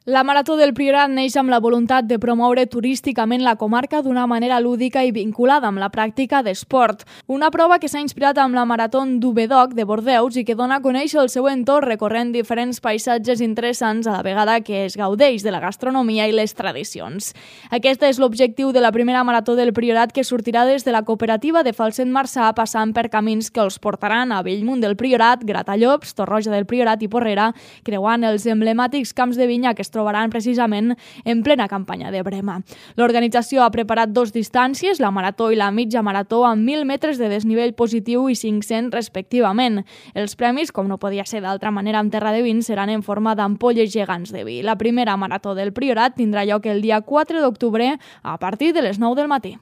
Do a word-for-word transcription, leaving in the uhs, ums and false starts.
La Marató del Priorat neix amb la voluntat de promoure turísticament la comarca d'una manera lúdica i vinculada amb la pràctica d'esport. Una prova que s'ha inspirat amb la Marató d'Ubedoc de Bordeus i que dona a conèixer el seu entorn recorrent diferents paisatges interessants a la vegada que es gaudeix de la gastronomia i les tradicions. Aquest és l'objectiu de la primera Marató del Priorat, que sortirà des de la cooperativa de Falset Marçà, passant per camins que els portaran a Bellmunt del Priorat, Gratallops, Torroja del Priorat i Porrera, creuant els emblemàtics camps de vinya que es trobaran precisament en plena campanya de brema. L'organització ha preparat dos distàncies, la marató i la mitja marató, amb mil metres de desnivell positiu i cinc-cents respectivament. Els premis, com no podia ser d'altra manera en terra de vins, seran en forma d'ampolles gegants de vi. La primera marató del Priorat tindrà lloc el dia quatre d'octubre a partir de les nou del matí.